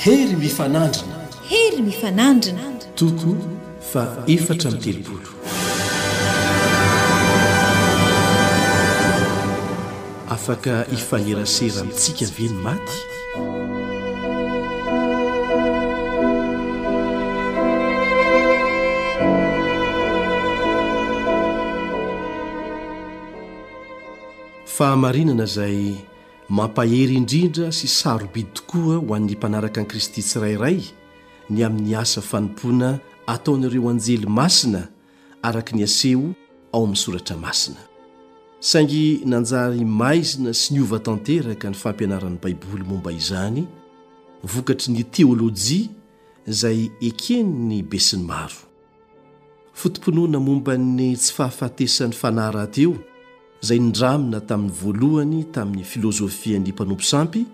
Hery mifanandrina. Hery mifanandrina. Toko faha 34. Afaka hifanerasera amintsika ve ny maty? Fahamarinana izay mampahery indrindra sy sarobidy tokoa ho an'ny mpanaraka an'i Kristy tsirairay ny amin'ny asa fanompoana ataon'ireo anjely masina araka ny aseho ao amin'ny soratra masina. Saingy nanjary maizina sy niova tanteraka ny fampianaran'ny Baiboly momba izany vokatry ny teolojia izay eken'ny besinimaro. Foto-pinoana momba ny tsy fahafatesan'ny fanahy rahateo izay nindramina tamin'ny voalohany tamin'ny filôzôfian'ny mpanompo sampy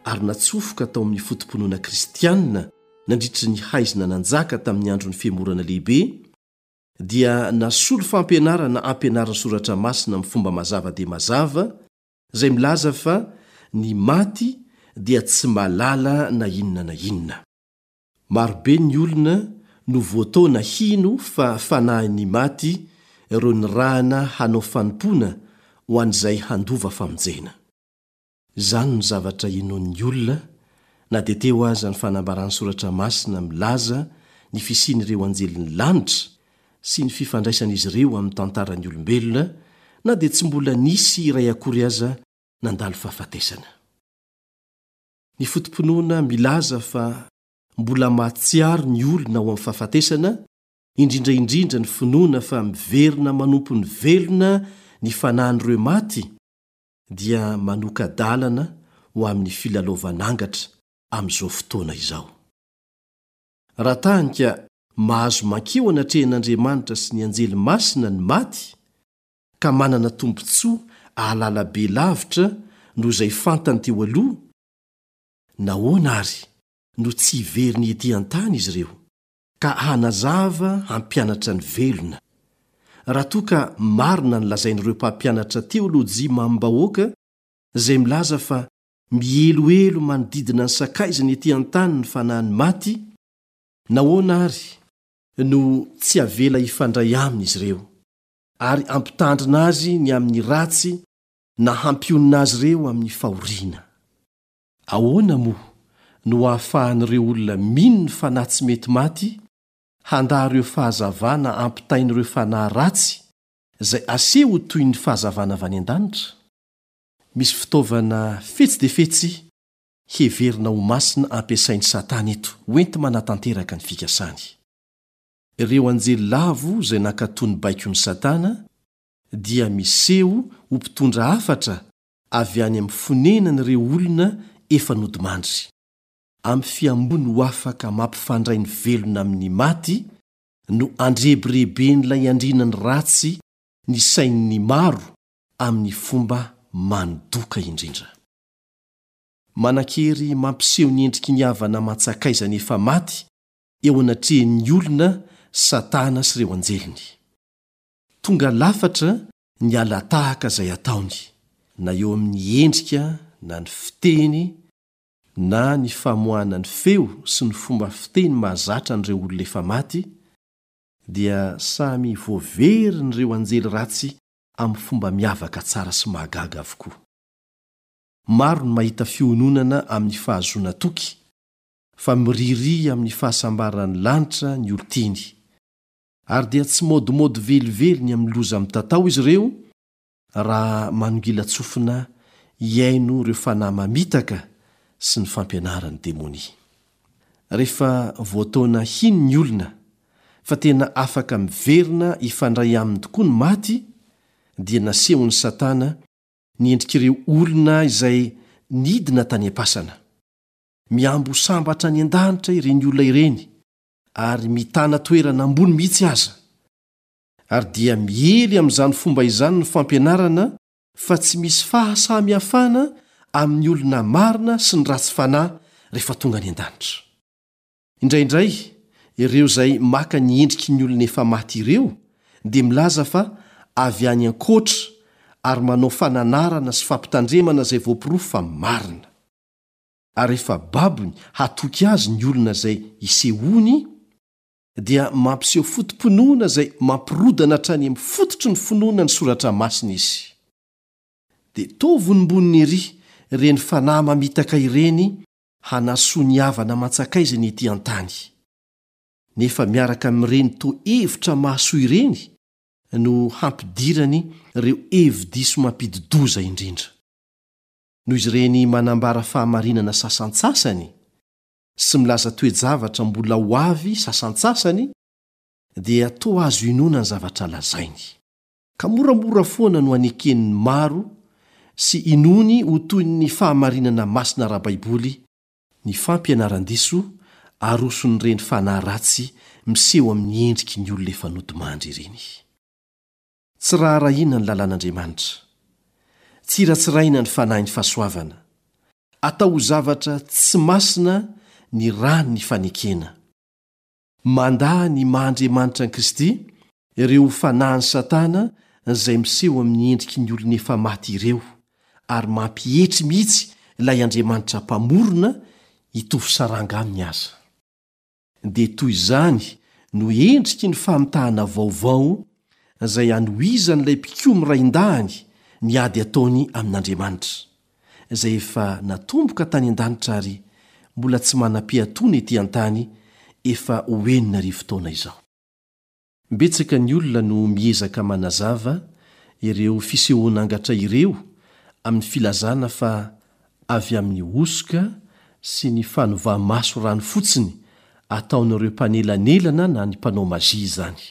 ary natsofoka tao amin'ny foto-pinoana kristianina nandritry ny haizina nanjaka tamin'ny andron'ny Fihemorana Lehibe dia nasolo fampianarana ampianarin'ny Soratra Masina amin'ny fomba mazava dia mazava izay milaza fa ny maty dia tsy mahalala na inona na inona. Marobe ny olona no voataona hino fa fanahin'ny maty ireo nirahana hanao fanompoana ho an'izay handova famonjena. Izany no zavatra inoan'ny olona na dia teo aza ny fanambaran'ny Soratra Masina milaza ny fisian'ireo anjelin'ny lanitra sy ny fifandraisan'izy ireo amin'ny tantaran'ny olombelona na dia tsy mbola nisy iray akory aza nandalo fahafatesana. Ny foto-pinoana milaza fa mbola mahatsiaro ny olona ao amin'ny fahafatesana, indrindra indrindra ny finoana fa miverina manompo ny velona ny fanahin'ireo maty, dia manoka-dalana ho amin'ny filalaovan'angatra amin'izao fotoana izao. Raha tanika mahazo mankeo anatrehan'Andriamanitra sy ny anjely masina ny maty, ka manana tombontsoa ahalala be lavitra noho izay fantany teo aloha, nahoana àry no tsy hiverina ety an-tany izy ireo, ka hanazava hampianatra ny velona? Raha toa ka marina ny lazain'ireo mpampianatra teolojia mamim-bahoaka izay milaza fa mihelohelo manodidina ny sakaizany ety an-tany ny fanahin'ny maty, nahoana àry no tsy avela hifandray aminy izy ireo? ary hampitandrina azy ny amin'ny ratsy na hampionona azy ireo amin'ny fahoriana. Ahoana moa no ahafahan'ireo olona mino ny fanahy tsy mety maty handà ireo fahazavana ampitain'ireo fanahy ratsy izay aseho ho toy ny fahazavana avy any an-danitra? Misy fitaovana fetsy dia fetsy heverina ho masina ampiasain'i Satana eto hoenti-manatanteraka ny fikasany. Ireo anjely lavo izay nankatò ny baikon'i Satana dia miseho ho mpitondra hafatra avy any amin'ny fonenan'ireo olona efa nodimandry. Amin'ny fihamboany ho afaka mampifandray ny velona amin'ny maty no andrebireben'ilay andrianan'ny ratsy ny sain'ny maro amin'ny fomba mandoka indrindra. Manan-kery mampiseho ny endriky ny havana aman-tsakaizany efa maty eo anatrehan'ny olona Satana sy ireo anjeliny. Tonga lafatra ny hala-tahaka izay ataony, na eo amin'ny endrika na ny fiteny na ny famoahana ny feo sy ny fomba fiteny mahazatra an'ireo olona efa maty, dia samy voaverin'ireo anjely ratsy amin'ny fomba miavaka tsara sy mahagaga avokoa. Maro ny mahita fiononana amin'ny fahazoana toky fa miririha amin'ny fahasambaran'ny lanitra ny olon-tiany. Ary dia tsy maodimaody velively ny amin'ny loza mitatao izy ireo raha manongilan-tsofina hihaino ireo fanahy mamitaka sy ny fampianaran'ny demonia. Rehefa voataona hino ny olona fa tena afaka miverina hifandray aminy tokoa ny maty, dia nasehon'i Satana ny endrik'ireo olona izay nidina tany am-pasana. Mihambo ho sambatra any an-danitra ireny olona ireny ary mitana toerana ambony mihitsy aza. Ary dia miely amin'izany fomba izany ny fampianarana fa tsy misy fahasamihafana amin'ny olona marina sy ny ratsy fanahy rehefa tonga any an-danitra. Indraindray, ireo izay maka ny endriky ny olona efa maty ireo dia milaza fa avy any ankoatra ary manao fananarana sy fampitandremana izay voaporofo fa marina. Ary rehefa babony hatoky azy ny olona izay isehoany, dia mampiseho foto-pinoana izay mampirodana hatrany amin'ny fototry ny finoana ny Soratra Masina izy. Dia toa vonombonony ery ireny fanahy mamitaka ireny hanasoa ny havana aman-tsakaizany ety an-tany. Nefa miaraka amin'ireny toa hevitra mahasoa ireny no hampidirany ireo hevi-diso mampidi-doza indrindra. Noho izy ireny manambara fahamarinana sasantsasany sy milaza toe-javatra mbola ho avy sasantsasany, dia toa azo inoana ny zavatra lazainy. Ka moramora foana no aneken'ny maro sy inoany ho toy ny fahamarinana masina ara-baiboly ny fampianaran-diso aroson'ireny fanahy ratsy miseho amin'ny endriky ny olona efa nodimandry ireny. Tsy raharahiana ny lalàn'Andriamanitra. Tsiratsiraina ny fanahin'ny fahasoavana. Atao ho zavatra tsy masina ny ran'ny fanekena. Mandà ny maha Andriamanitra an'i Kristy ireo fanahin'i Satana izay miseho amin'ny endriky ny olona efa maty ireo, ary mampietry mihitsy ilay Andriamanitra Mpamorona hitovy saranga aminy aza. Dia toy izany no endriky ny famitahana vaovao izay anohizan'ilay mpikomy raindahiny ny ady ataony amin'Andriamanitra, izay efa natomboka tany an-danitra ary mbola tsy manam-piatoana ety an-tany efa ho 6000 taona izao. Betsaka ny olona no miezaka manazava ireo fisehoan'angatra ireo amin'ny filazana fa avy amin'ny hosoka sy ny fanovà-maso rano fotsiny ataon'ireo mpanelanelana na ny mpanao mazia izany.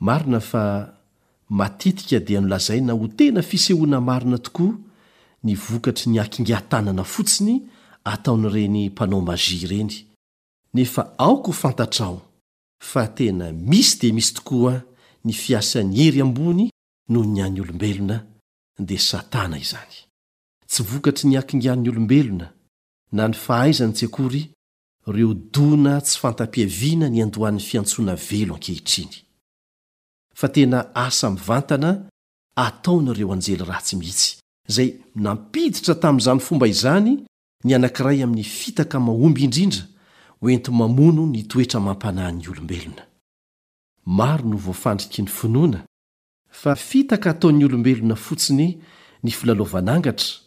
Marina fa matetika dia nolazaina ho tena fisehoana marina tokoa ny vokatry ny hakingan-tanana fotsiny ataon'ireny mpanao mazia ireny, nefa aoka ho fantatrao fa tena misy dia misy tokoa ny fiasan'ny hery ambony noho ny an'ny olombelona, dia Satana izany. Tsy vokatry ny hakingan'ny olombelona na ny fahaizany tsy akory ireo dona tsy fanta-piaviana niandohan'ny fiantsoana velo ankehitriny. Fa tena asa mivantana ataon'ireo anjely ratsy mihitsy, izay nampiditra tamin'izany fomba izany ny anankiray amin'ny fitaka mahomby indrindra hoenti-mamono ny toetra amam-panahin'ny olombelona. Maro no voafandriky ny finoana fa fitaka ataon'ny olombelona fotsiny ny filalaovan'angatra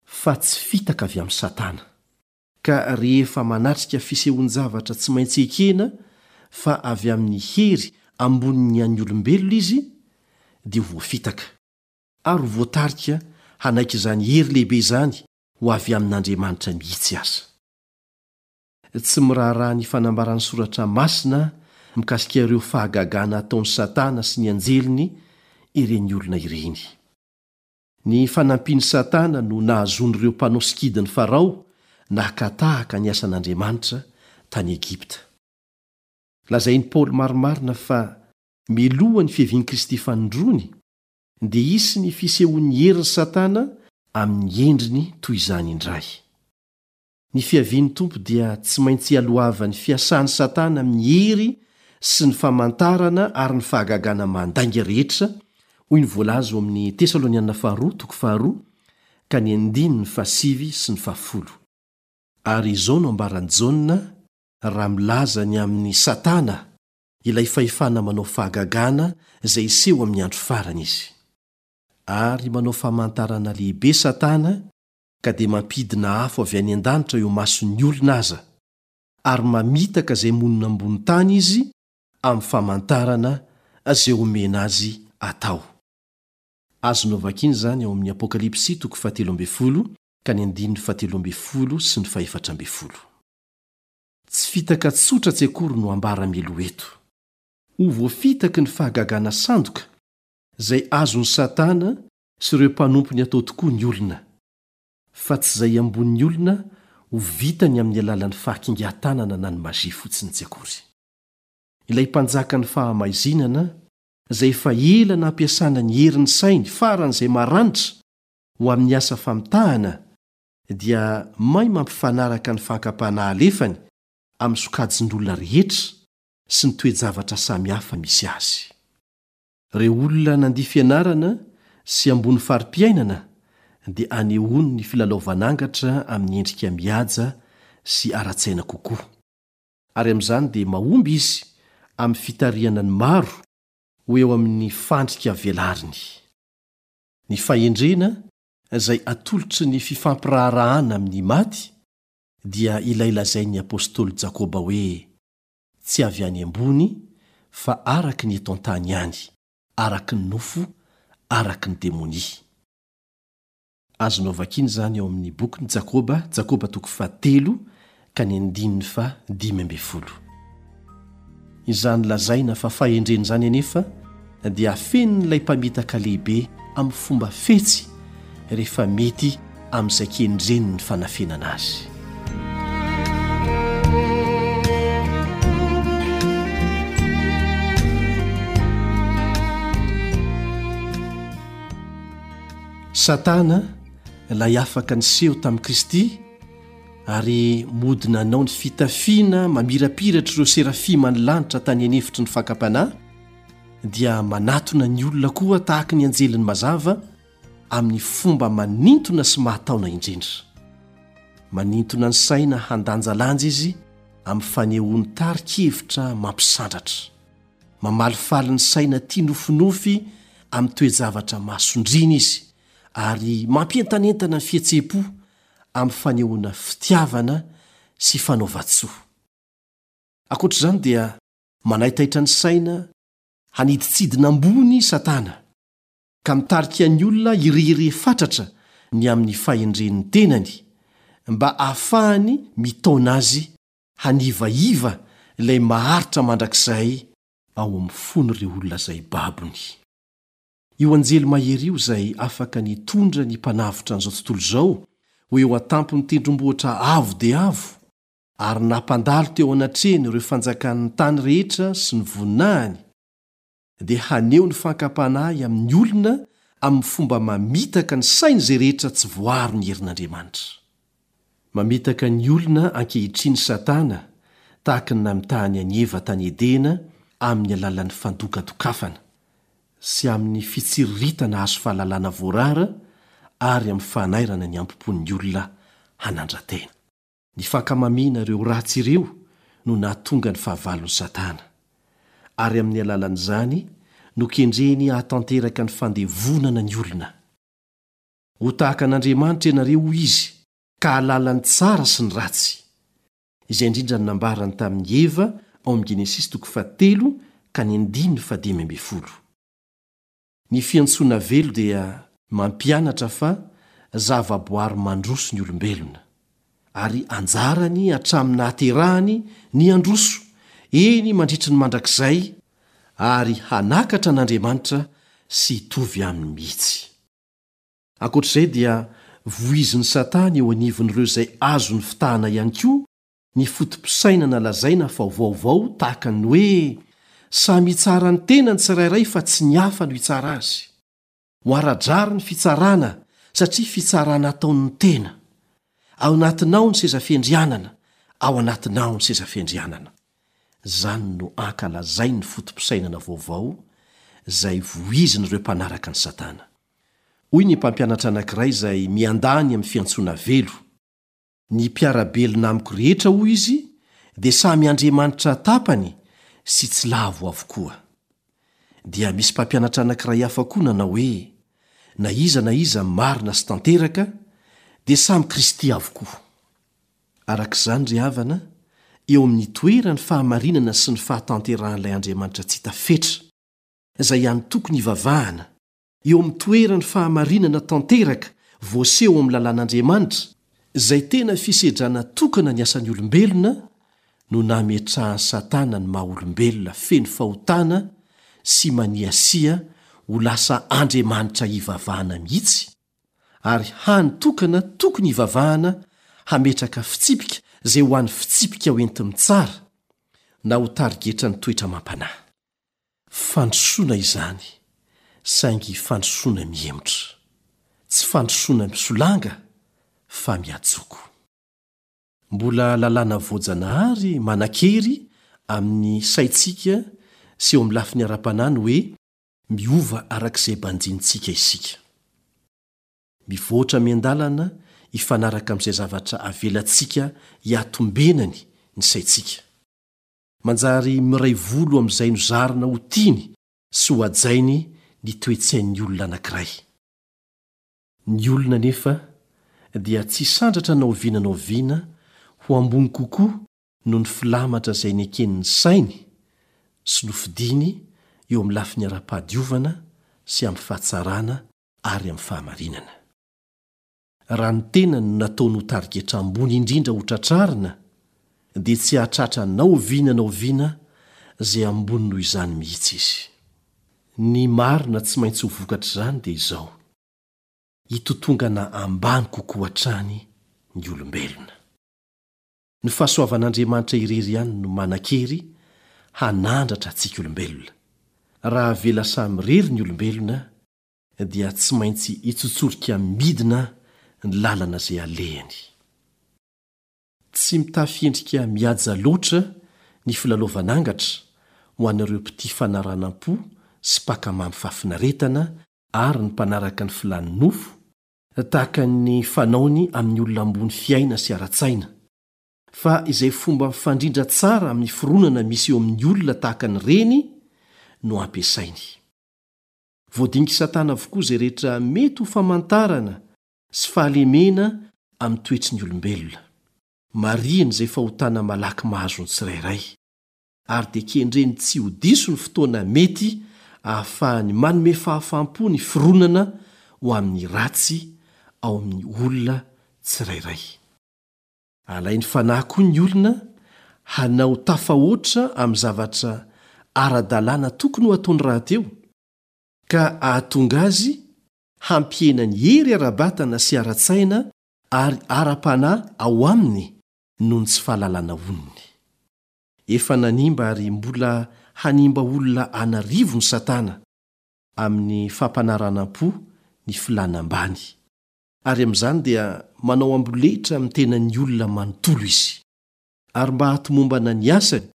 fa tsy fitaka avy amin'i Satana. Ka rehefa manatrika fisehoan-javatra tsy maintsy ekena fa avy amin'ny hery ambonin'ny an'ny olombelona izy dia ho voafitaka, ary ho voatarika hanaiky izany hery lehibe izany ho avy amin'Andriamanitra mihitsy aza. Tsy miraharaha ny fanambaran'ny Soratra Masina mikasika ireo fahagagana ataon'i Satana sy ny anjeliny ireny olona ireny. Ny fanampian'i Satana no nahazoan'ireo mpanao sikidin'i Farao naka tahaka ny asan'Andriamanitra tany Egypta. Lazain'i Paoly marimarina fa miloha ny fiavian'i Kristy fanindroany, dia hisy ny fisehoan'ny herin'i Satana amin'ny endriny toy izany indray. Ny fiavian'ny Tompo dia tsy maintsy ialohavan'ny fiasan'i Satana amin'ny hery sy ny famantarana ary ny fahagagana mandainga rehetra, hoy ny voalaza ao amin'ny Tesaloniana Faharoa toko faharoa ka ny andininy fahasivy sy ny fahafolo. Ary izao no ambaran'i Jaona raha milaza ny amin'i Satana ilay fahefana manao fahagagana izay hiseho amin'ny andro farany izy. Ary manao famantarana lehibe Satana ka dia mampidina afo avy any an-danitra eo imason'ny olona aza, ary mamitaka izay monina ambony tany izy amin'ny famantarana izay omena azy atao. Azonao vakiana izany ao amin'ny Apokalypsy toko fahatelo ambin'ny folo ka ny andininy fahatelo ambin'ny folo sy ny fahefatra ambin'ny folo. Tsy fitaka tsotra tsy akory no ambara mialoha eto. Ho voafitaky ny fahagagana sandoka izay azon'i Satana sy ireo mpanompony atao tokoa ny olona, fa tsy izay ambonin'ny olona ho vitany amin'ny alalan'ny fahakingan-tanana na ny magie fotsiny tsy akory. Ilay mpanjakan'ny fahamaizinana izay efa ela nampiasana ny herin'ny sainy faran'izay maranitra ho amin'ny asa famitahana dia may mampifanaraka ny fankam-panahy alefany amin'ny sokajin'olona rehetra sy ny toe-javatra samihafa misy azy. Ireo olona nandia fianarana sy ambony fari-piainana dia anehoany ny filalaovan'angatra amin'ny endrika mihaja sy ara-tsaina kokoa. Ary amin'izany dia mahomby izy amin'ny fitarihana ny maro ho eo amin'ny fandrika velariny. Ny fahendrena izay atolotry ny fifampiraharahana amin'ny maty dia ilay lazain'ny apostoly Jakoba hoe, Tsy avy any ambony, fa araka ny eto an-tany ihany, araka ny nofo, araka ny demonia. Azonao vakiana izany ao amin'ny bokin'i Jakoba, Jakoba toko fahatelo ka ny andininy faha 15. Izany lazaina fa fahendrena izany anefa dia afenin'ilay mpamitaka lehibe amin'ny fomba fetsy rehefa mety amin'izay kendreny ny fanafenana azy. Satana, ilay afaka niseho tamin'i Kristy, ary mody nanao ny fitafiana mamirapiratr'ireo serafiman'ny lanitra tany an'efitry ny fakam-panahy, dia manatona ny olona koa tahaka ny anjelin'ny mazava amin'ny fomba manintona sy mahataona indrindra. Manintona ny saina handanjalanja izy amin'ny fanehoany tari-kevitra mampisandratra. Mamalifaly ny saina tia nofinofy amin'ny toe-javatra mahasondriana izy ary mampientanentana ny fihetseham-po amin'ny fanehoana fitiavana sy fanaovan-tsoa. Ankoatra izany dia manaitaitra ny saina hanidintsidina ambony i Satana, ka mitarika ny olona hirehirehy fatratra ny amin'ny fahendren'ny tenany, mba hahafahany mitaona azy hanivaiva ilay maharitra mandrakizay ao amin'ny fon'ireo olona izay babony. Io anjely mahery io izay afaka nitondra ny Mpanavotra an'izao tontolo izao ho eo an-tampon'ny tendrombohitra avo dia avo, ary nampandalo teo anatrehany ireo fanjakan'ny tany rehetra sy ny voninahiny, dia haneho ny fankam-panahy amin'ny olona amin'ny fomba mamitaka ny sain'izay rehetra tsy voaro ny herin'Andriamanitra. Mamitaka ny olona ankehitriny Satana tahaka ny namitahany an'i Eva tany Edena amin'ny alalan'ny fandokadokafana, sy amin'ny fitsiriritana hahazo fahalalana voarara ary amin'ny fanairana ny hambom-pon'ny olona hanandra-tena. Ny fankamamiana ireo ratsy ireo no nahatonga ny fahavalon'i Satana, ary amin'ny alalan'izany no kendreny hahatanteraka ny fandevonana ny olona. Ho tahaka an'Andriamanitra ianareo, hoy izy, ka hahalala ny tsara sy ny ratsy. Izay indrindra no nambarany tamin'i Eva ao amin'ny Genesisy toko fahatelo ka ny andininy fahadimy ambin'ny folo. Ny fiantsoana velo dia mampianatra fa zavaboary mandroso ny olombelona, ary anjarany hatramin'ny nahaterahany ny handroso, eny mandritry ny mandrakizay, ary hanakatra an'Andriamanitra sy hitovy aminy mihitsy. Ankoatra izay dia voizin'i Satana eo anivon'ireo izay azony fitahana ihany koa ny foto-pisainana lazaina fa vaovao tahaka ny hoe samy hitsara ny tenany tsirairay fa tsy ny hafa no hitsara azy. Ho ara-drariny ny fitsarana satria fitsarana ataon'ny tena. Ao anatinao ny seza fiandrianana, ao anatinao ny seza fiandrianana. Izany no ankalazain'ny foto-pisainana vaovao izay voizin'ireo mpanaraka an'i Satana. Hoy ny mpampianatra anankiray izay miandany amin'ny fiantsoana velo, Ny mpiara-belona amiko rehetra, hoy izy, dia samy andriamanitra tapany sy tsy lavo avokoa. Dia misy mpampianatra anankiray hafa koa nanao hoe, Na iza na iza marina sy tanteraka, dia samy Kristy avokoa. Araka izany, ry havana, eo amin'ny toeran'ny fahamarinana sy ny fahatanterahan'ilay Andriamanitra tsy hita fetra, izay ihany tokony hivavahana, eo amin'ny toeran'ny fahamarinana tanteraka voaseho ao amin'ny lalàn'Andriamanitra, izay tena fisedrana tokana ny asan'ny olombelona, no nametrahan'i Satana ny maha-olombelona feno fahotana sy maniasia ho lasa andriamanitra hivavahana mihitsy, ary hany tokana tokony hivavahana hametraka fitsipika izay ho an'ny fitsipika hoenti-mitsara na ho tarigetran'ny toetra amam-panahy. Fandrosoana izany, saingy fandrosoana mihemotra. Tsy fandrosoana misolanga fa mihatsoko. Mbola lalàna voajanahary manan-kery amin'ny saintsika sy eo amin'ny lafiny ara-panahy ny hoe miova araka izay banjinintsika isika. Mivoatra miandalana hifanaraka amin'izay zavatra avelantsika hiatombenany ny saintsika. Manjary miray volo amin'izay nozarina ho tiany sy ho hajainy ny toe-tsain'ny olona anankiray. Ny olona anefa dia tsy sandratra na oviana na oviana ho ambony kokoa noho ny filamatra izay neken'ny sainy sy nofidiny eo amin'ny lafiny ara-pahadiovana sy amin'ny fahatsarana ary amin'ny fahamarinana. Raha ny tenany no nataony ho tarigetra ambony indrindra ho tratrarina dia tsy hahatratra na oviana na oviana izay ambony noho izany mihitsy izy. Ny marina tsy maintsy ho vokatr'izany dia izao, hitotongana ambany kokoa hatrany ny olombelona. Ny fahasoavan'Andriamanitra irery ihany no manan-kery hanandratra antsika olombelona. Raha avela samirery ny olombelona dia tsy maintsy hitsotsorika midina ny lalana izay alehany. Tsy mitafy endrika mihaja loatra ny filalaovan'angatra ho an'ireo mpitia fanaranam-po sy mpakamamy fahafinaretana ary ny mpanaraka ny filàn'ny nofo, tahaka ny fanaony amin'ny olona ambony fiaina sy ara-tsaina, fa izay fomba mifandrindra tsara amin'ny fironana misy eo amin'ny olona tahaka an'ireny no ampiasainy. Voadinik'i Satana avokoa izay rehetra mety ho famantarana sy fahalemena amin'ny toetry ny olombelona. Marihiny izay fahotana malaky mahazo ny tsirairay. Ary dia kendreny tsy ho diso ny fotoana mety ahafahany manome fahafaham-po ny fironana ho amin'ny ratsy ao amin'ny olona tsirairay. Alainy fanahy koa ny olona hanao tafahoatra amin'ny zavatra ara-dalàna tokony ho ataony rahateo, ka hahatonga azy hampihena ny hery ara-batana sy ara-tsaina ary ara-panahy ao aminy noho ny tsy fahalalana onony. Efa nanimba ary mbola hanimba olona an'arivony Satana amin'ny fampanaranam-po ny filàna ambany, ary amin'izany dia manao amboletra amin'ny tenan'ny olona manontolo izy. Ary mba hahatomombana ny asany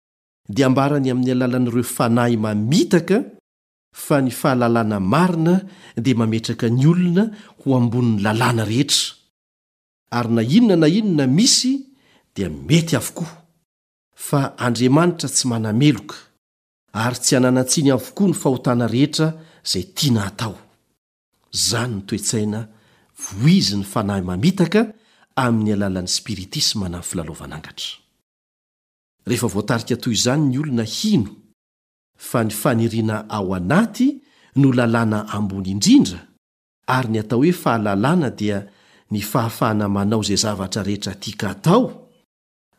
dia ambarany amin'ny alalan'ireo fanahy mamitaka fa ny fahalalana marina dia mametraka ny olona ho ambonin'ny lalàna rehetra, ary na inona na inona misy dia mety avokoa, fa Andriamanitra tsy manameloka, ary tsy ananan-tsiny avokoa ny fahotana rehetra izay tiana hatao. Izany ny toe-tsaina voizin'ny fanahy mamitaka amin'ny alalan'ny spiritisma na ny filalaovan'angatra. Rehefa voatarika toy izany ny olona hino fa ny faniriana ao anaty no lalàna ambony indrindra, ary ny atao hoe fahalalana dia ny fahafahana manao izay zavatra rehetra tian-katao,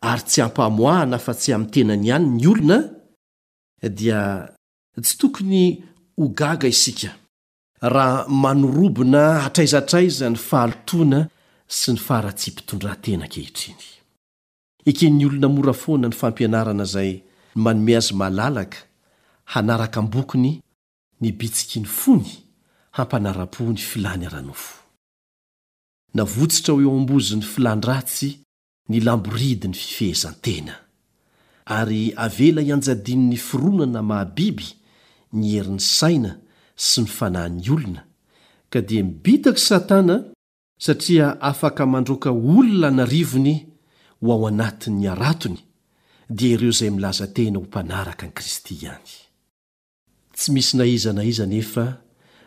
ary tsy ampamoahana afa-tsy amin'ny tenany ihany ny olona, dia tsy tokony ho gaga isika raha manorobona hatraiza hatraiza ny fahalotoana sy ny faharatsiam-pitondran-tena ankehitriny. Eken'ny olona mora foana ny fampianarana izay manome azy malalaka hanaraka am-bokony ny bitsiky ny fony hampanara-po ny filàny ara-nofo. Navotsitra ho eo am-bozon'ny filàn-dratsy ny lamboridin'ny fifehezan-tena, ary avela hianjadian'ny fironana maha-biby ny herin'ny saina sy ny fanahin'ny olona, ka dia mibitak'i Satana satria afaka mandroaka olona an'arivony ho ao anatin'ny haratony, dia ireo izay milaza tena ho mpanaraka an'i Kristy ihany. Tsy misy na iza na iza anefa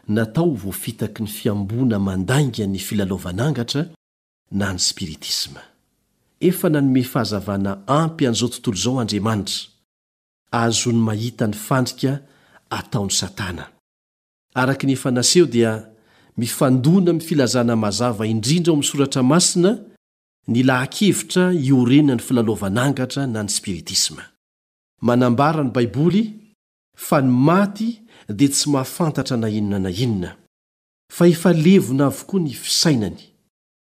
natao ho voafitaky ny fihamboana mandainga ny filalaovan'angatra na ny spiritisma. Efa nanome fahazavana ampy an'izao tontolo izao Andriamanitra, ahazoany mahita ny fandrika ataon'i Satana. Araka ny efa naseho dia mifandona amin'ny filazana mazava indrindra ao amin'ny Soratra Masina ny laha-kevitra iorenan'ny filalaovan'angatra na ny spiritisma. Manambara ny Baiboly fa ny maty dia tsy mahafantatra na inona na inona, fa efa levona avokoa ny fisainany.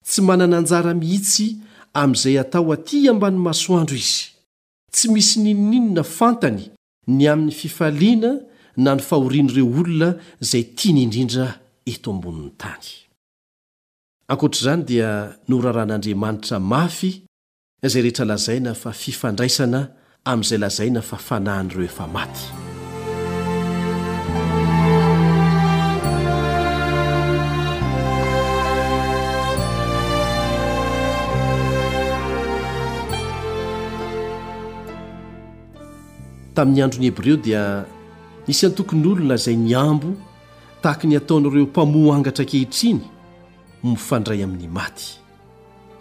Tsy manana anjara mihitsy amin'izay atao aty ambany masoandro izy. Tsy misy n'inon'inona fantany ny amin'ny fifaliana na ny fahorian'ireo olona izay tiany indrindra eto ambonin'ny tany. Ankoatra izany dia noraran'Andriamanitra mafy izay rehetra lazaina fa fifandraisana amin'izay lazaina fa fanahin'ireo efa maty. Tamin'ny andron'ny Hebreo dia nisy antokon'olona izay nihambo tahaka ny ataon'ireo mpamoha angatra ankehitriny ho mifandray amin'ny maty.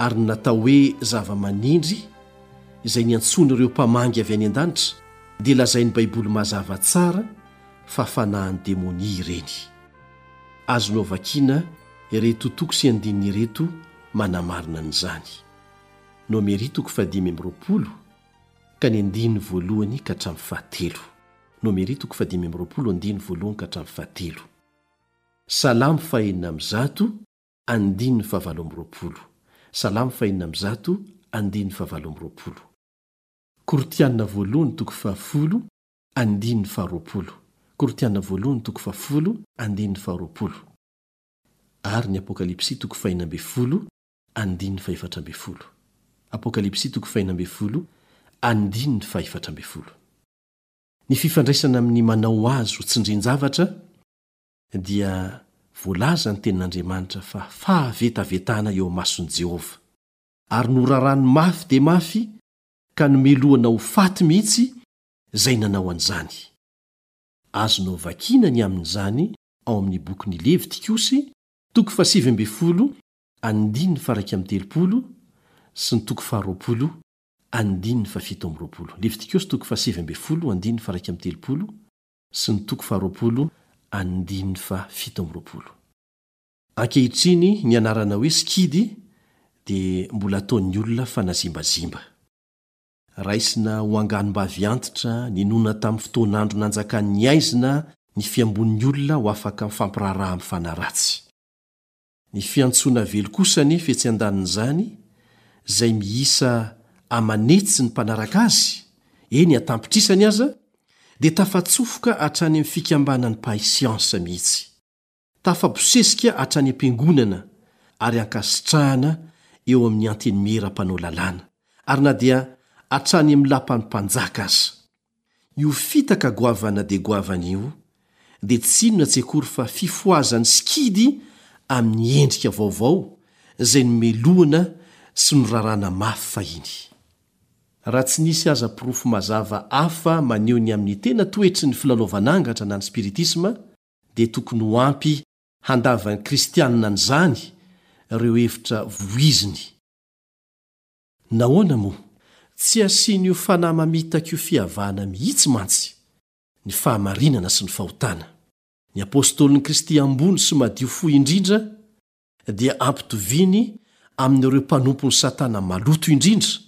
Ary ny natao hoe zava-manindry izay niantsoan'ireo mpamangy avy any an-danitra dia lazain'ny Baiboly mazava tsara fa fanahin'ny demonia ireny. Azonao vakiana ireto toko sy andininy ireto manamarina an'izany. Nomery toko fahadimy amby 20 ka ny andininy voalohany ka hatramin'ny fahatelo. Nomery toko fahadimy amby 20 andininy voalohany ka hatramin'ny fahatelo. Salamo fahenina amby zato andininy fahavalo amby 20. Salamo fahenina amby zato andininy fahavalo amby 20. Korintiana voalohany toko fahafolo andininy faharoapolo. Korintiana voalohany toko fahafolo andininy faharoapolo. Ary ny Apokalypsy toko fahenina ambin'ny folo andininy fahefatra ambin'ny folo. Apokalypsy toko fahenina ambin'ny folo andininy fahefatra ambin'ny folo. Ny fifandraisana amin'ny manao azy ho tsindrin-javatra dia voalaza ny Tenin'Andriamanitra fa fahavetavetana eo imason'i Jehovah, ary norarany mafy dia mafy ka nomelohana ho faty mihitsy izay nanao an'izany. Azonao vakiana ny amin'izany ao amin'ny bokin'ny Levitikosy, toko fahasivy ambin'ny folo, andininy faha-iraika amby 30, sy ny toko faharoapolo, andininy fahafito amby 20. Levitikosy toko fahasivy ambin'ny folo, andininy faha-iraika amby 30, sy ny toko faharoapolo, andininy fahafito amby 20. Ankehitriny ny anarana hoe sikidy dia mbola ataon'ny olona fanazimbazimba. Raisina ho anganom-bavy antitra ninoana tamin'ny fotoan'andro nanjakan'ny haizina ny fiambon'ny olona ho afaka mifampiraharaha amin'ny fanahy ratsy. Ny fiantsoana velo kosa anefa etsy andanin'izany, izay miisa aman'hetsy ny mpanaraka azy, eny an-tampitrisany aza, dia tafatsofoka hatrany amin'ny fikambanan'ny mpahay siansa mihitsy. Tafabosesika hatrany am-piangonana ary ankasitrahana eo amin'ny antenimiera mpanao lalàna, ary na dia hatrany amin'ny lapan'ny mpanjaka aza. Io fitaka goavana dia goavana io dia tsy inona tsy akory fa fifohazan'ny sikidy amin'ny endrika vaovao izay nomelohina sy noraràna mafy fahiny. Raha tsy nisy aza porofo mazava hafa maneho ny amin'ny tena toetry ny filalaovan'angatra na ny spiritisma, dia tokony ho ampy handavan'ny kristianina an'izany ireo hevitra voiziny. Nahoana moa? Tsy asian'io fanahy mamitaka io fihavahana mihitsy mantsy ny fahamarinana sy ny fahotana. Ny apostolin'i Kristy ambony sy madio fo indrindra dia ampitoviany amin'ireo mpanompon'i Satana maloto indrindra,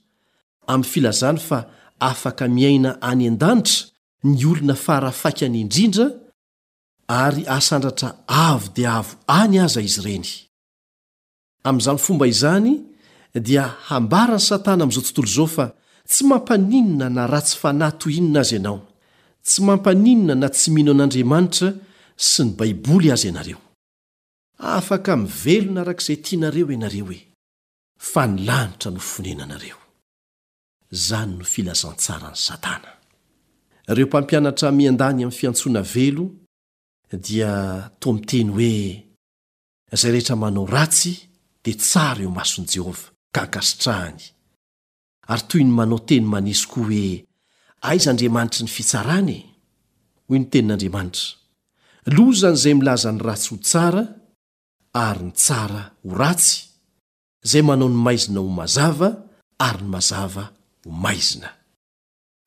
amin'ny filazany fa afaka miaina any an-danitra ny olona fara faikany indrindra ary asandratra avo dia avo any aza izy ireny. Amin'izany fomba izany dia hambaran'i Satana amin'izao tontolo izao fa tsy mampaninona na ratsy fanahy toy inona aza ianao, tsy mampaninona na tsy mino an'Andriamanitra sy ny Baiboly aza ianareo. Afaka mivelona araka izay tianareo ianareo e! Fa ny lanitra no fonenanareo. Izany no filazantsaran'i Satana. Ireo mpampianatra miandany amin'ny fiantsoana velo dia toa miteny hoe izay rehetra manao ratsy dia tsara eo imason'i Jehovah ka ankasitrahany. Ary toy ny manao teny maneso koa hoe aiza Andriamanitry ny fitsarana e? Hoy ny tenin'Andriamanitra, Lozan'izay milaza ny ratsy ho tsara ary ny tsara ho ratsy, izay manao ny maizina ho mazava ary ny mazava ho maizina.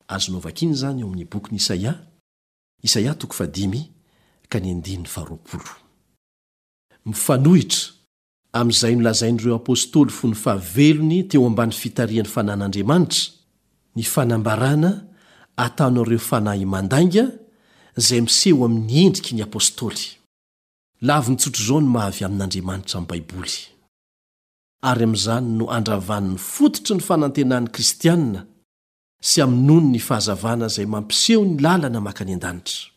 Azonao vakiana izany ao amin'ny bokin'i Isaia, Isaia toko fahadimy ka ny andininy faharoapolo. Mifanohitra amin'izay nolazain'ireo apostoly fony fahavelony teo ambany fitarihan'ny fanan'Andriamanitra, ny fanambarana ataon'ireo fanahy mandainga izay miseho amin'ny endriky ny apostoly. Laviny tsotr'izao ny maha avy amin'Andriamanitra ny Baiboly. Ary amin'izany no andravany ny fototry ny fanantenan'ny kristiana sy amonoany ny fahazavana izay mampiseho ny lalana mankany an-danitra.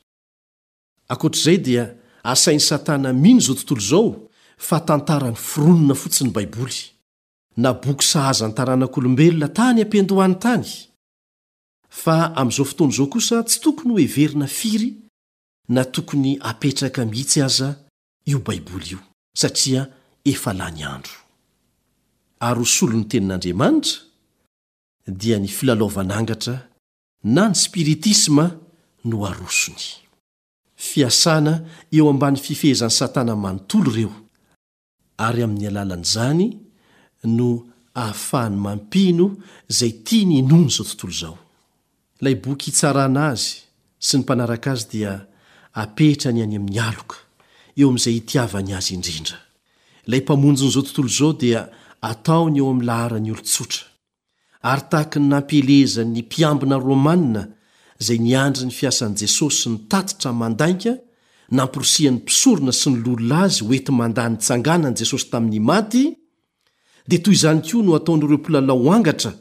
Ankoatr'izay dia asain'i Satana mino izao tontolo izao fa tantara noforonina fotsiny ny Baiboly, na boky sahaza ny taranak'olombelona tany am-piandohany tany. Fa amin'izao fotoana izao kosa tsy tokony hoheverina firy na tokony hapetraka mihitsy aza io Baiboly io, satria efa lany andro. Ary ho solon'ny Tenin'Andriamanitra, dia ny filalaovan'angatra. na ny spiritisma no arosony. Fiasana eo ambany fifehezan'i Satana manontolo ireo, ary amin'ny alalan'izany no ahafahany mampino izay tiany hinoana izao tontolo izao. Ilay boky hitsarana azy sy ny mpanaraka azy dia apetrany any amin'ny aloka, eo amin'izay itiavany azy indrindra. Ilay Mpamonjin'izao tontolo izao dia ataony eo amin'ny laharan'ny olon-tsotra. Ary tahaky ny nampielezany ny mpiambina romana izay niandry ny fiasan'i Jesosy ny tatitra mandainga namporisihan'ny mpisorona sy ny loholona azy ho enti-mandà ny tsanganan'i Jesosy tamin'ny maty, dia toy izany koa no ataon'ireo mpilalao angatra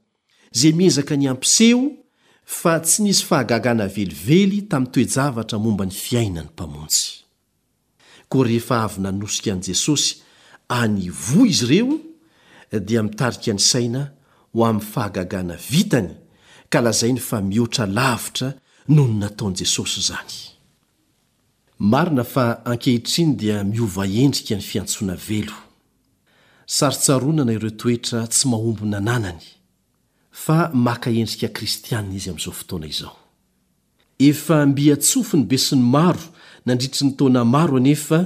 izay miezaka ny hampiseho fa tsy nisy fahagagana velively tamin'ny toe-javatra momba ny fiainan'ny Mpamonjy. Koa rehefa avy nanosika an'i Jesosy any ivoho izy ireo, dia mitarika ny saina ho amin'ny fahagagana vitany ka lazainy fa mihoatra lavitra noho ny nataon'i Jesosy izany. Marina fa ankehitriny dia miova endrika ny fiantsoana velo. Sarotsaronana ireo toetra tsy mahomby nananany, fa maka endrika kristiana izy amin'izao fotoana izao. Efa mby an-tsofin'ny besinimaro nandritry ny taona maro anefa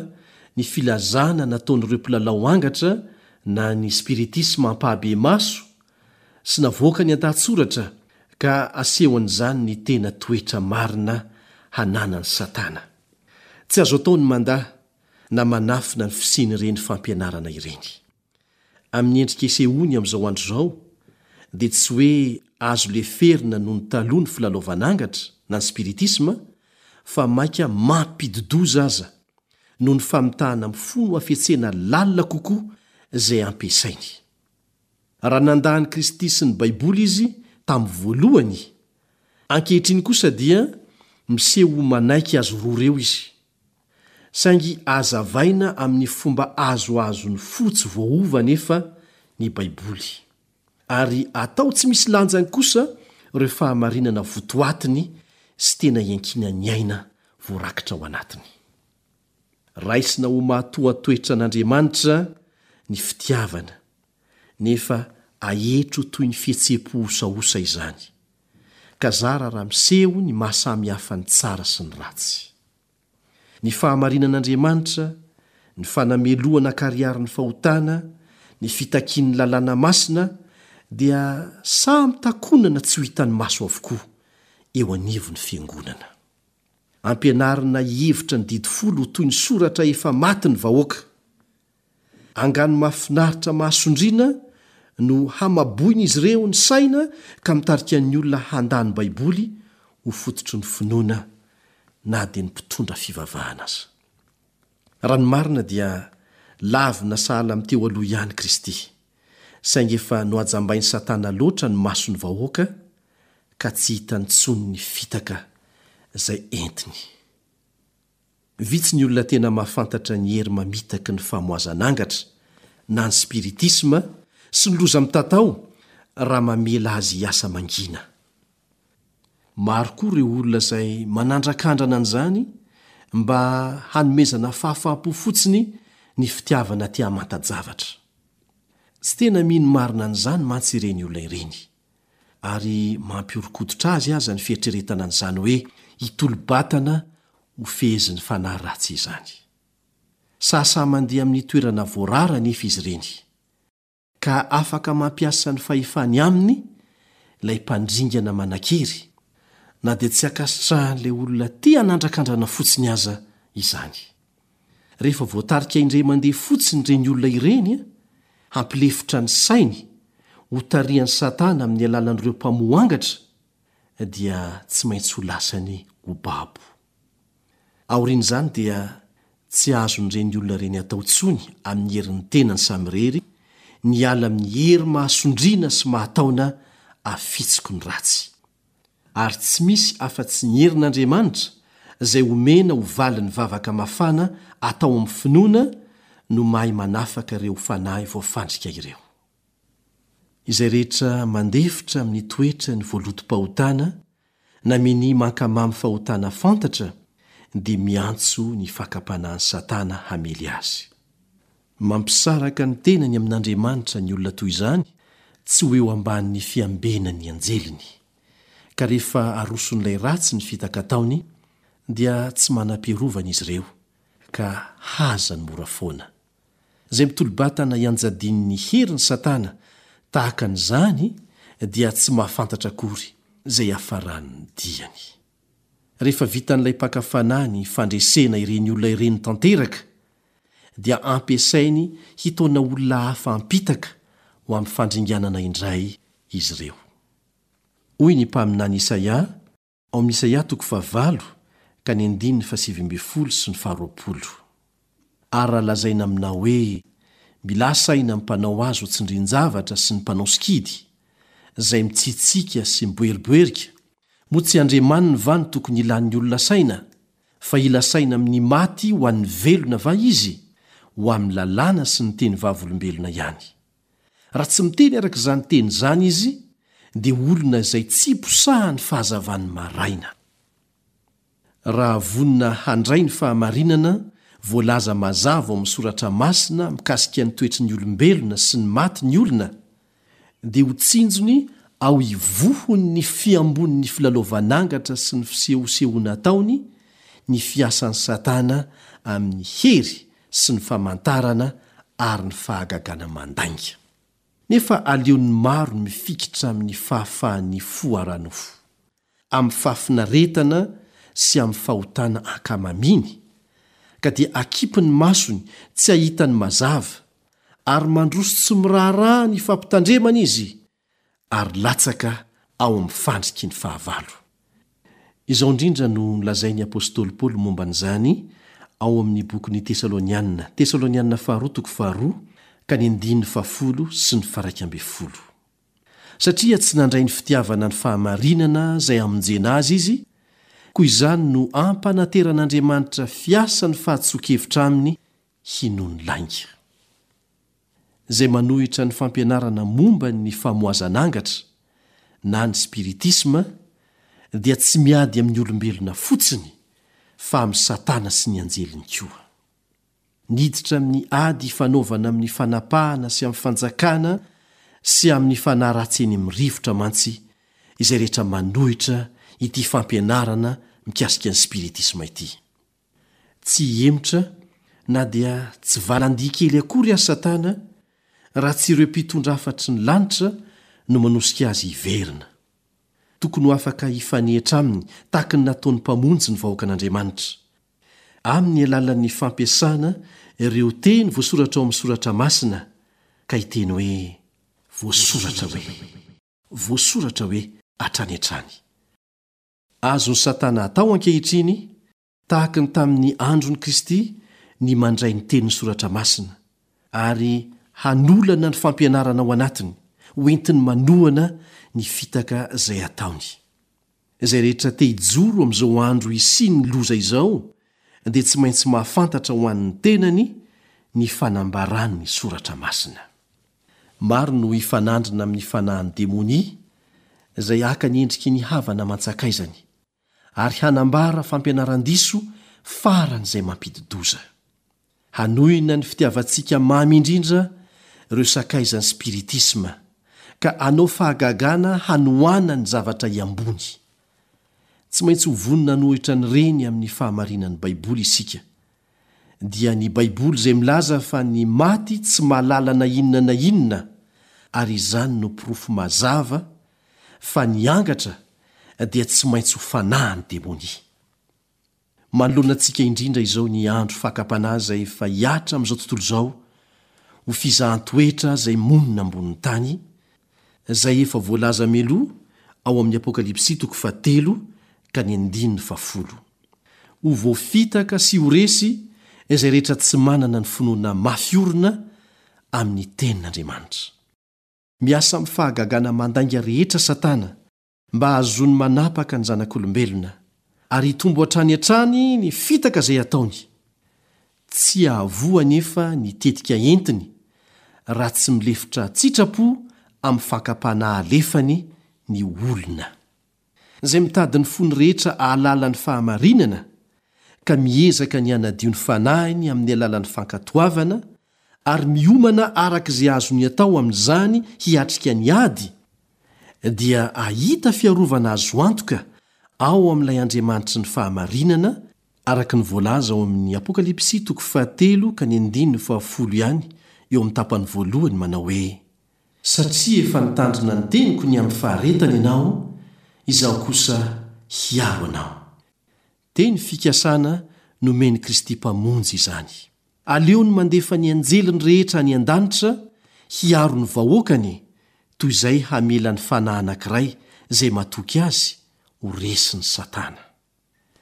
ny filazana nataon'ireo mpilalao angatra na ny spiritisma ampahabemaso sy navoakany an-dahatsoratra ka asehon'izany ny tena toetra marina hananan'i Satana. Tsy azo atao ny mandà na manafina ny fisian'ireny fampianarana ireny. Amin'ny endrika isehoany amin'izao andro izao, dia tsy hoe azo leferina noho ny taloha ny filalaovan'angatra na ny spiritisma, fa mainka mampidi-doza aza, noho ny famitahana mifono hafetsena lalina kokoa izay ampiasainy. Raha nandà an'i Kristy sy ny Baiboly izy tamin'ny voalohany, ankehitriny kosa dia miseho ho manaiky azy roa ireo izy. Saingy hazavaina amin'ny fomba azoazon'ny fo tsy voaova anefa ny Baiboly. Ary atao tsy misy lanjany kosa ireo fahamarinana votoatiny sy tena iankinan'ny aina voarakitra ao anatiny. Raisina ho matoatoetra an'Andriamanitra ny fitiavana, nefa aetry ho toy ny fihetseham-po osaosa izany, ka zara raha miseho ny maha samy hafa ny tsara sy ny ratsy. Ny fahamarinan'Andriamanitra, ny fanamelohana an-karihary ny fahotana, ny fitakian'ny lalàna masina dia samy takonana tsy ho hitan'ny maso avokoa eo anivon'ny fiangonana. Ampianarina hihevitra ny Didy Folo ho toy ny soratra efa maty ny vahoaka. Angano mahafinaritra mahasondriana no hamaboin'izy ireo ny saina ka mitarika ny olona handà ny Baiboly ho fototry ny finoana na dia ny mpitondra fivavahana aza. Raha ny marina dia lavina sahala amin'ny teo aloha ihany Kristy, saingy efa nohajambain'i Satana loatra ny mason'ny vahoaka ka tsy hitany intsony ny fitaka izay entiny. Vitsy ny olona tena mahafantatra ny hery mamitaky ny famoazan'angatra na ny spiritisma sy ny loza mitatao raha mamela azy hiasa mangina. Maro koa ireo olona izay manandrakandrana an'izany mba hanomezana fahafaham-po fotsiny ny fitiavana te hamanta-javatra. Tsy tena mino marina an'izany mantsy ireny olona ireny. Ary mampihoron-koditra azy aza ny fieritreretana an'izany hoe hitolo-batana ho fehezin'ny fanahy ratsy izany. Sahasahy mandeha amin'ny toerana voarara anefa izy ireny, ka afaka mampiasa ny fahefany aminy ilay mpandringana manan-kery, na dia tsy ankasitrahan'ilay olona te hanandrakandrana fotsiny aza izany. Rehefa voatarika indray mandeha fotsiny ireny olona ireny, hampilefitra ny sainy, hotarihan'i Satana amin'ny alalan'ireo mpamoha angatra, dia tsy maintsy ho lasany ho babo. Aorian'izany dia tsy azon'ireny olona ireny atao intsony amin'ny herin'ny tenany samirery ny hiala amin'ny hery mahasondriana sy mahataona afitsiky ny ratsy. Ary tsy misy afa-tsy ny herin'Andriamanitra, izay omena ho valin'ny vavaka mafana atao amin'ny finoana, no mahay manafaka ireo fanahy voafandrika ireo. Izay rehetra mandefitra amin'ny toetrany voalotom-pahotana na minia mankamamy fahotana fantatra dia miantso ny fakam-panahin'i Satana hamely azy. Mampisaraka ny tenany amin'Andriamanitra ny olona toy izany tsy ho eo ambanin'ny fiambenan'ny anjeliny. Ka rehefa aroson'ilay ratsy ny fitaka ataony, dia tsy manam-piarovana izy ireo, ka hazany mora foana. Izay mitolo-batana ianjadian'ny herin'i Satana tahaka an'izany dia tsy mahafantatra akory izay hiafaran'ny diany. Rehefa vitan'ilay mpaka fanahy ny fandresena ireny olona ireny tanteraka, dia ampiasainy hitaona olona hafa hampitaka ho amin'ny fandringanana indray izy ireo. Hoy ny mpaminany Isaia Ao amin'ny Isaia toko fahavalo ka ny andininy fahasivy ambin'ny folo sy ny faharoapolo. Ary raha lazaina aminao hoe, Milà saina amin'ny mpanao azy ho tsindrin-javatra sy ny mpanao sikidy, izay mitsitsiaka sy miboeriboerika, moa tsy Andriamaniny va no tokony hilan'ny olona saina? Fa hila saina amin'ny maty ho an'ny velona va izy? Ho amin'ny lalàna sy ny teny vavolombelona ihany. Raha tsy miteny araka izany teny izany izy, dia olona izay tsy posahan'ny fahazavan'ny maraina. Raha vonona handray ny fahamarinana voalaza mazava ao amin'ny Soratra Masina mikasika ny toetry ny olombelona sy ny maty ny olona, dia ho tsinjony ao ivohon'ny fiambonin'ny filalaovan'angatra sy ny fisehosehoana ataony ny fiasan'i Satana amin'ny hery sy ny famantarana ary ny fahagagana mandainga. Nefa aleon'ny maro ny mifikitra amin'ny fahafahan'ny fo ara-nofo, amin'ny fahafinaretana sy amin'ny fahotana ankamamiany, ka dia akipy ny masony tsy hahita ny mazava, ary mandroso tsy miraharaha ny fampitandremana izy, ary latsaka ao amin'ny fandriky ny fahavalo. Izao indrindra no nolazain'ny apostoly Paoly momba an'izany ao amin'ny bokin'ny Tesalonianina, Tesalonianina Faharoa toko faharoa ka ny andininy fahafolo sy ny faharaika ambin'ny folo. Satria tsy nandray ny fitiavana ny fahamarinana izay hamonjena azy izy, koa izany no ampanateran'Andriamanitra fiasa ny fahadisoan-kevitra aminy hinoany lainga. Izay manohitra ny fampianarana momba ny famohazana angatra na ny spiritisma dia tsy miady amin'ny olombelona fotsiny fa amin'i Satana sy ny anjeliny koa. Niditra amin'ny ady ifanaovana amin'ny fanapahana sy amin'ny fanjakana sy amin'ny fanahy ratsy eny amin'ny rivotra mantsy izay rehetra manohitra ity fampianarana mikasika ny spiritisma ity. Tsy hihemotra na dia tsy valandia kely akory aza Satana raha tsy ireo mpitondra hafatry ny lanitra no manosika azy hiverina. Tokony ho afaka hifanehitra aminy tahaka ny nataon'ny Mpamonjy ny vahoakan'Andriamanitra. Amin'ny alalan'ny fampiasana ireo teny voasoratra ao amin'ny Soratra Masina ka hiteny hoe, Voasoratra hoe. Voasoratra hoe hatrany hatrany. Azon'i Satana atao ankehitriny Tahaka ny tamin'ny andron'i Kristy ny mandray ny tenin'ny Soratra Masina, ary hanolana ny fampianarana ao anatiny, ho entiny manohana ny fitaka izay ataony. Izay rehetra te hijoro amin'izao andro hisian'ny loza izao dia tsy maintsy mahafantatra ho an'ny tenany ny fanambaran'ny Soratra Masina. Maro no hifanandrina amin'ny fanahin'ny demonia izay haka ny endriky ny havana aman-tsakaizany. ary hanambara fampianaran-diso faran'izay mampidi-doza. Hanohina ny fitiavantsika mamy indrindra ireo sakaizan'ny spiritisma, ka hanao fahagagana hanohana ny zavatra hiambony. Tsy maintsy ho vonona hanohitra an'ireny amin'ny fahamarinan'ny Baiboly isika, dia ny Baiboly izay milaza fa ny maty tsy mahalala na inona na inona, ary izany no porofo mazava fa ny angatra dia tsy maintsy ho fanahin'ny demonia. Manoloana antsika indrindra izao ny andro fakam-panahy izay efa hihatra amin'izao tontolo izao ho fizahan-toetra izay monina ambonin'ny tany, izay efa voalaza mialoha ao amin'ny Apokalypsy toko fahatelo ka ny andininy fahafolo. Ho voafitaka sy ho resy izay rehetra tsy manana ny finoana mafy orina amin'ny Tenin'Andriamanitra. Miasa amin'ny fahagagana mandainga rehetra Satana mba hahazoany manapaka ny zanak'olombelona, ary hitombo hatrany hatrany ny fitaka izay ataony. Tsy hahavoa anefa ny tetika entiny raha tsy milefitra an-tsitrapo amin'ny fakam-panahy alefany ny olona. Izay mitady ny fony rehetra hahalala ny fahamarinana, ka miezaka ny hanadio ny fanahiny amin'ny alalan'ny fankatoavana, ary miomana araka izay azony atao amin'izany hiatrika ny ady, dia hahita fiarovana azo antoka ao amin'ilay Andriamanitry ny fahamarinana, araka ny voalaza ao amin'ny Apokalypsy toko fahatelo ka ny andininy fahafolo ihany eo amin'ny tapany voalohany manao hoe, Satria efa nitandrina ny teniko ny amin'ny faharetana ianao, Izaho kosa hiaro anao. Teny fikasana nomen'i Kristy Mpamonjy izany. Aleony mandefa ny anjeliny rehetra any an-danitra hiaro ny vahoakany toy izay hamela ny fanahy anankiray izay matoky azy ho resin'i Satana.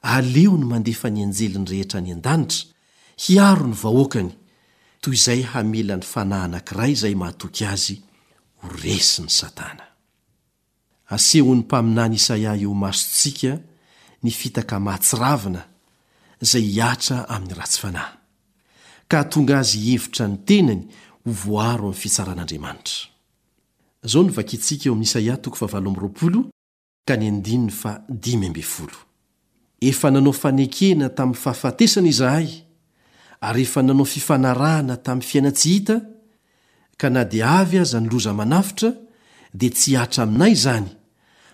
Aleony mandefa ny anjeliny rehetra any an-danitra hiaro ny vahoakany toy izay hamela ny fanahy anankiray izay matoky azy ho resin'i Satana. Asehon'ny mpaminany Isaia eo imasontsika ny fitaka mahatsiravina izay hihatra amin'ny ratsy fanahy, ka hahatonga azy hihevitra ny tenany ho voaro amin'ny fitsaran'Andriamanitra. Izao no vakintsika eo amin'ny Isaia toko fahavalo amby 20 ka ny andininy faha 15. Efa nanao fanekena tamin'ny fahafatesana izahay, ary efa nanao fifanarahana tamin'ny fiainan-tsy hita, ka na dia avy aza ny loza manafotra, dia tsy hihatra aminay izany,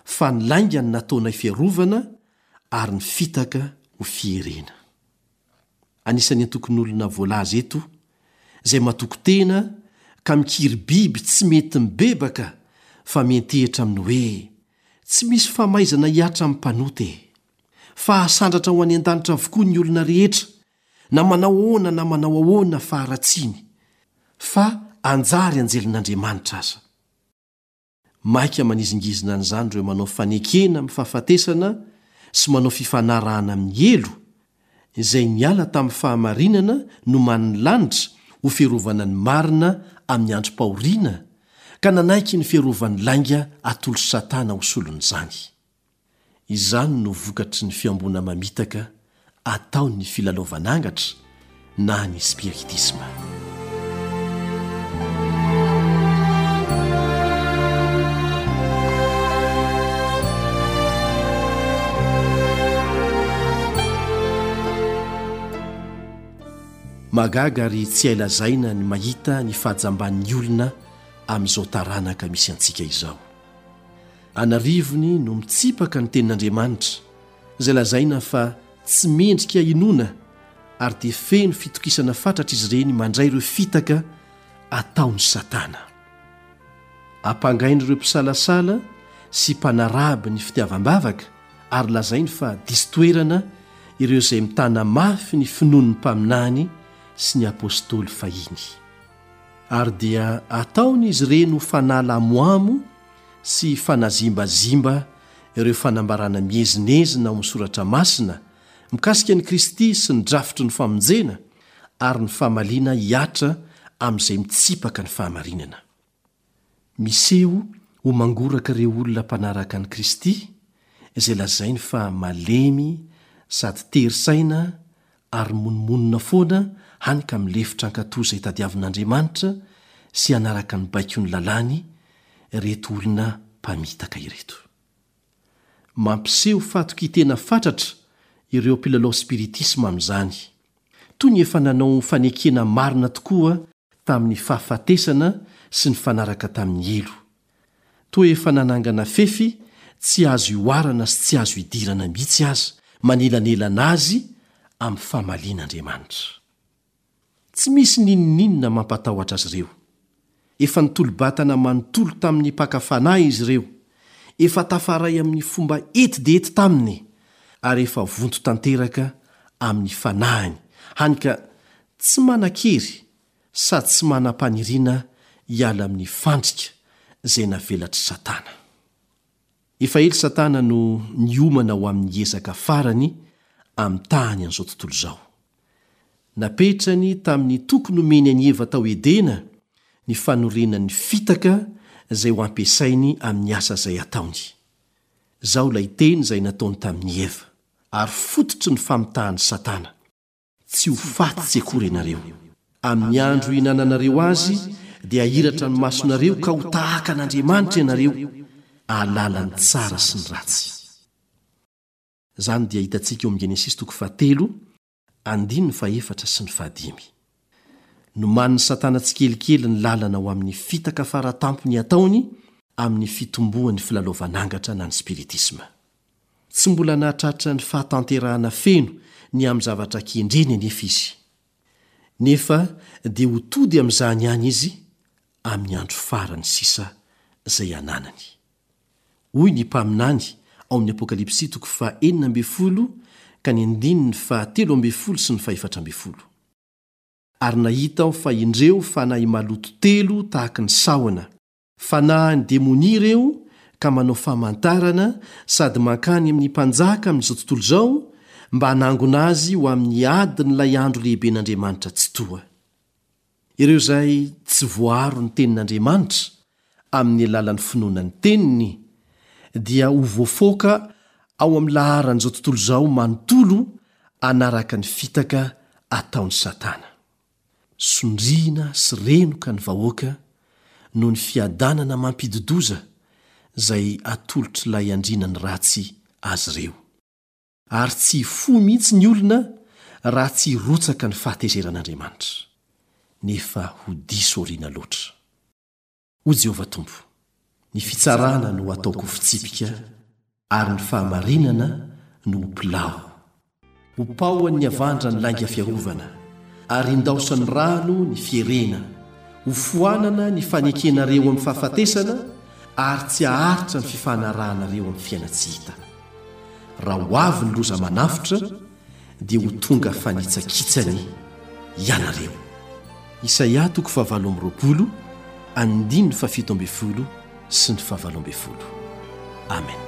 fa ny lainga no nataonay fiarovana, ary ny fitaka ho fierena. Anisan'ny antokon'olona voalaza eto, izay matoky tena ka mikiry biby tsy mety mibebaka fa miantehitra amin'ny hoe, Tsy misy famaizana hihatra amin'ny mpanota e! Fa hasandratra ho any an-danitra avokoa ny olona rehetra, na manao ahoana na manao ahoana faharatsiany, fa hanjary anjelin'Andriamanitra aza. Maika manizingizina an'izany ireo manao fanekena amin'ny fahafatesana sy manao fifanarahana amin'ny helo, izay niala tamin'ny fahamarinana nomanin'ny lanitra ho fiarovana ny marina amin'ny androm-pahoriana, ka nanaiky ny fiarovan'ny lainga atolotr'i Satana ho solon'izany. Izany no vokatry ny fihamboana mamitaka ataon'ny filalaovan'angatra na ny spiritisma. Mahagaga ary tsy hay lazaina ny mahita ny fahajamban'ny olona amin'izao taranaka misy antsika izao. An'arivony no mitsipaka ny Tenin'Andriamanitra, izay lazaina fa tsy mendrika hinoana ary dia feno fitokisana fatratra izy ireny mandray ireo fitaka ataon'i Satana. Ampangain'ireo mpisalasala sy mpanaraby ny fitiavam-bavaka ary lazainy fa diso toerana ireo izay mitana mafy ny finoan'ny mpaminany sy ny apostoly fahiny. Ary dia ataon'izy ireny ho fanala amoamo sy fanazimbazimba ireo fanambarana miezinezina ao amin'ny Soratra Masina mikasika an'i Kristy sy ny drafitry ny famonjena ary ny famaliana hihatra amin'izay mitsipaka ny fahamarinana. Miseho ho mangoraka ireo olona mpanaraka an'i Kristy izay lazainy fa malemy sady tery saina ary monomonona foana hany ka milefitra hankatò izay tadiavin'Andriamanitra sy hanaraka ny baikon'ny lalàny ireto olona mpamitaka ireto. Mampiseho fahatokian-tena fatratra ireo mpilalao spiritisma amin'izany, toy ny efa nanao fanekena marina tokoa tamin'ny fahafatesana sy nifanaraka tamin'ny helo. Toa efa nanangana fefy tsy azo ihoarana sy tsy azo idirana mihitsy aza manelanelana azy amin'ny famalian'Andriamanitra. Tsy misy n'inon'inona mampatahotra azy ireo. Efa nitolo-batana manontolo tamin'ny mpaka fanahy izy ireo, efa tafaray amin'ny fomba ety dia ety taminy, ary efa vonto tanteraka amin'ny fanahiny, hany ka tsy manan-kery sady tsy manam-paniriana hiala amin'ny fandrika izay navelatr'i Satana. Efa ela Satana no niomana ho amin'ny ezaka farany hamitahany an'izao tontolo izao. Napetrany tamin'ny toky nomeny an'i Eva tao Edena ny fanorenany fitaka izay ho ampiasainy amin'ny asa izay ataony. Izao ilay teny izay nataony tamin'i Eva, ary fototry ny famitahan'i Satana. Tsy ho faty tsy akory ianareo. Amin'ny andro hihinananareo azy dia hahiratra ny masonareo ka ho tahaka an'Andriamanitra ianareo, hahalala ny tsara sy ny ratsy. Izany dia hitantsika eo amin'ny Genesisy toko fahatelo, andininy fahefatra sy ny fahadimy. Nomanin'i Satana tsikelikely ny lalana ho amin'ny fitaka fara tampony hataony. amin'ny fitomboan'ny filalaovan'angatra na ny spiritisma. Tsy mbola nahatratra ny fahatanterahana feno ny amin'ny zavatra kendreny anefa izy. Nefa dia ho tody amin'izany ihany izy amin'ny andro farany sisa izay ananany. Hoy ny mpaminany ao amin'ny Apokalypsy toko faha 16 ka ny andininy faha 13 sy ny faha 14. Ary nahita aho fa indreo fanahy maloto telo tahaky ny sahona, Fanahin'ny demonia ireo ka manao famantarana sady mankany amin'ny mpanjaka amin'izao tontolo izao mba hanangona azy ho amin'ny adin'ilay andro lehiben'Andriamanitra Tsitoha. Ireo izay tsy voaaro ny Tenin'Andriamanitra amin'ny alalan'ny finoana ny Teniny dia ho voafaoka ao amin'ny laharan'izao tontolo izao manontolo hanaraka ny fitaka ataon'i Satana. Sondriana sy renoka ny vahoaka noho ny fiadanana mampidi-doza izay atolotr'ilay andrianany ratsy azy ireo. Ary tsy hifoha mihitsy ny olona raha tsy hirotsaka ny fahatezeran'Andriamanitra. Nefa ho diso aoriana loatra. Hoy Jehovah Tompo, Ny fitsarana no hataoko ho fitsipika, ary ny fahamarinana no ho pilao. Ho paohan'ny havandra ny lainga fiarovana, ary hindaosan'ny rano ny fierena. Hofoanana ny fanekenareo amin'ny fahafatesana, ary tsy haharitra ny fifanarahanareo amin'ny fiainan-tsy hita. Raha ho avy ny loza manafotra, dia ho tonga fanitsakitsany ianareo. Isaia toko fahavalo amby roapolo, andininy fahafito ambin'ny folo sy ny fahavalo ambin'ny folo. Amen.